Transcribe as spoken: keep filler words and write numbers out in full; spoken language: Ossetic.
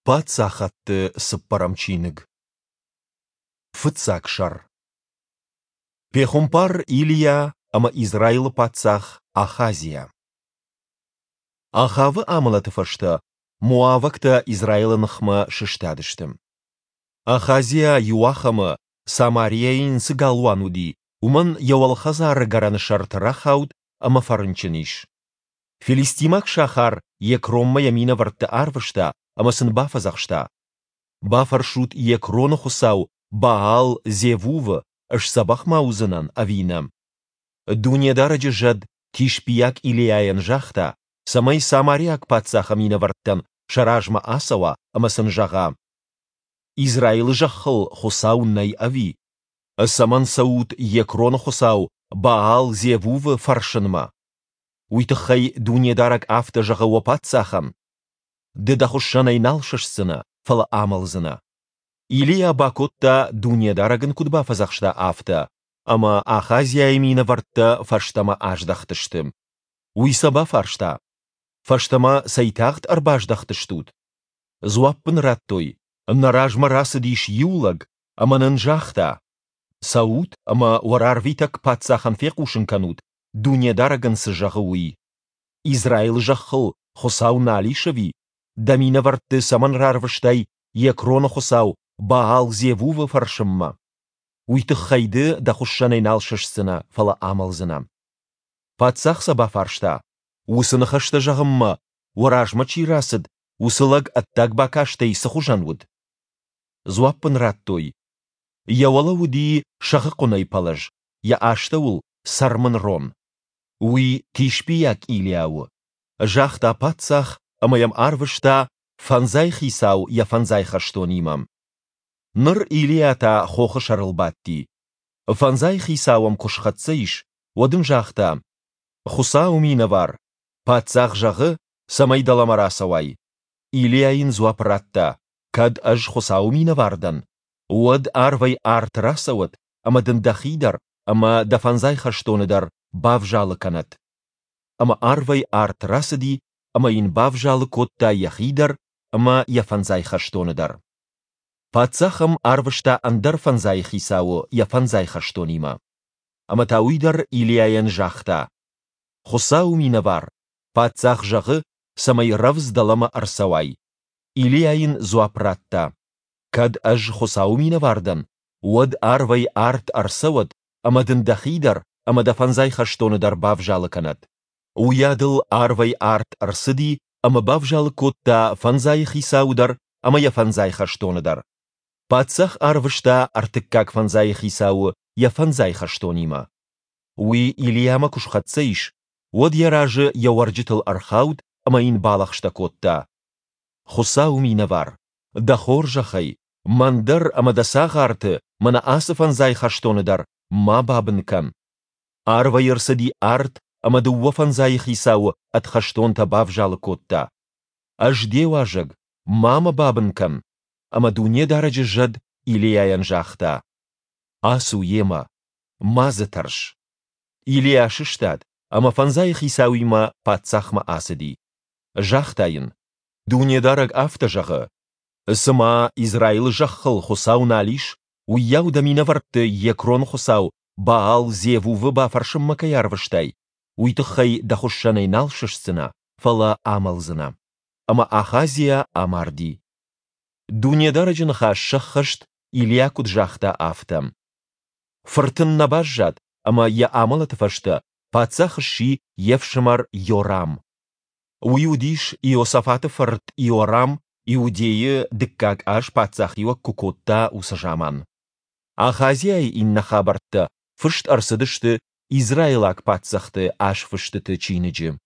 Паддзӕхты цыппӕрӕм чиныг. Фыццаг сӕр. Пехуымпар Илийа ӕмӕ Израилы паддзах Ахазиа. Ахавы амӕлӕты фӕстӕ моавӕгтӕ Израилы ныхмӕ сыстадысты. Ахазиа иуахӕмы, Самариайы йын цы галуан уыди, уымӕн йӕ уӕлхӕдзары гӕрӕны сӕрты рахауд ӕмӕ фӕрынчын ис. Филистимаг сахар Екронмӕ йӕ минӕвӕртты арвыста ӕмӕ сын бафӕдзӕхста: «Бафӕрсут Екроны хуыцау Баал-Зевувы, сдзӕбӕх ма уыдзынӕн ӕви нӕ?» Дунедарӕджы зӕд Тишбийаг Илийайӕн загъта, цӕмӕй самариаг паддзахы минӕвӕрттӕн сӕ размӕ ацӕуа ӕмӕ сын зӕгъа: «Израилы зӕххыл Хуыцау нӕй ӕви? Цӕмӕн цӕут Екроны хуыцау Баал-Зевувы фӕрсынмӕ? Уый тыххӕй Дунедарӕг афтӕ зӕгъы уӕ паддзахӕн: Ды дӕ хуыссӕнӕй нал сыстдзынӕ, фӕлӕ амӕлдзынӕ». Илийа бакодта, Дунедарӕг ын куыд бафӕдзӕхста, афтӕ, ӕмӕ Ахазиайы минӕвӕрттӕ фӕстӕмӕ аздӕхтысты. Уый сӕ бафарста: «Фӕстӕмӕ цӕй тагъд ӕрбаздӕхтыстут?» Дзуапп ын радтой: «Нӕ размӕ рацыдис иу лӕг ӕмӕ нын загъта: Цӕут ӕмӕ уӕ рарвитӕг паддзахӕн фехъусын кӕнут, Дунедарӕг ын цы зӕгъы, уый. Израилы зӕххыл Хуыцау нал ис ӕви? Дӕ минӕвӕртты цӕмӕн рарвыстай Екроны хуыцау Баал-Зевувы фӕрсынмӕ? Уый тыххӕй ды дӕ хуыссӕнӕй нал сыстдзынӕ, фӕлӕ амӕлдзынӕ». Паддзах сӕ бафарста: «Уыцы ныхӕстӕ зӕгъынмӕ уӕ размӕ чи рацыд, уыцы лӕг ӕддаг бакастӕй цыхуызӕн уыд?» Дзуапп ын радтой: «Йӕ уӕлӕ уыди сӕгъы хъуынӕй пӕлӕз, йӕ астӕуыл цӕрмын рон. Уый Тишбийаг Илийа у», загъта паддзах ӕмӕ йӕм арвыста фӕндзай хицау йӕ фӕндзай хӕстонимӕ. Ныр Илийа та хохы сӕрыл бадти. Фӕндзай хицау ӕм куы схӕццӕ ис, уӕд ын загъта: «Хуыцауы минӕвар, паддзах зӕгъы, цӕмӕй дӕлӕмӕ рацӕуай». Илийа йын дзуапп радта: «Кӕд ӕз Хуыцауы минӕвар дӕн, уӕд арвӕй арт рацӕуӕд ӕмӕ дын дӕхи дӕр ӕмӕ дӕ фӕндзай хӕстоны дӕр бавзалы кӕнӕд». Ӕмӕ арвӕй арт рацыди ӕмӕ йын бавзалы кодта йӕхи дӕр ӕмӕ йӕ фӕндзай хӕстоны дӕр. Паддзах ӕм арвыста ӕндӕр фӕндзай хицауы йӕ фӕндзай хӕстонимӕ. Ӕмӕ та уый дӕр Илийайӕн загъта: «Хуыцауы минӕвар, паддзах зӕгъы, цӕмӕй рӕвдз дӕлӕмӕ ӕрцӕуай». Илийа йын дзуапп радта: «Кӕд ӕз Хуыцауы минӕвар дӕн, уӕд арвӕй арт ӕрцӕуӕд ӕмӕ дын дӕхи дӕр ӕмӕ дӕ фӕндзай хӕстоны дӕр бавзалы кӕнӕд». Уыйадыл арвӕй арт ӕрцыди ӕмӕ бавзалы кодта фӕндзайы хицауы дӕр ӕмӕ йӕ фӕндзай хӕстоны дӕр. Паддзах арвыста ӕртыккаг фӕндзайы хицауы йӕ фӕндзай хӕстонимӕ. Уый Илийамӕ куы схӕццӕ ис, уӕд йӕ разы йӕ уӕрджытыл ӕрхауд ӕмӕ йын балӕгъстӕ кодта: «Хуыцауы минӕвар, дӕ хорзӕхӕй, мӕн дӕр ӕмӕ дӕ цагъарты, мӕнӕ ацы фӕндзай хӕстоны дӕр, ма бабын кӕн. Арвӕй ӕрцыди арт ӕмӕ дыууӕ фӕндзайы хицауы ӕд хӕстонтӕ бавзалы кодта. Ӕз де уазӕг, ма мӕ бабын кӕн». Ӕмӕ Дунедарӕджы зӕд Илийайӕн загъта: «Ацу йемӕ, ма дзы тӕрс». Илийа сыстад ӕмӕ фӕндзайы хицауимӕ паддзахмӕ ацыди. Загъта йын: «Дунедарӕг афтӕ зӕгъы: Цыма Израилы зӕххыл Хуыцау нал ис, уыйау дӕ минӕвӕртты Екроны хуыцау Баал-Зевувы бафӕрсынмӕ кӕй арвыстай, уый тыххӕй дӕ хуыссӕнӕй нал сыстдзынӕ, фӕлӕ амӕлдзынӕ». Ӕмӕ Ахазиа амарди. Дунедарӕджы ныхас сӕххӕст, Илийа куыд загъта, афтӕ. Фырт ын нӕ баззад, ӕмӕ йӕ амӕлӕты фӕстӕ паддзах сси йе фсымӕр Йорам. Уый уыдис Иосафаты фырт Иорам Иудейы дыккаг аз паддзахиуӕг куы кодта, уыцы заман. Ахазиайы иннӕ хабӕрттӕ фыст ӕрцыдысты Израилаг паддзӕхты азфыстыты чиныджы.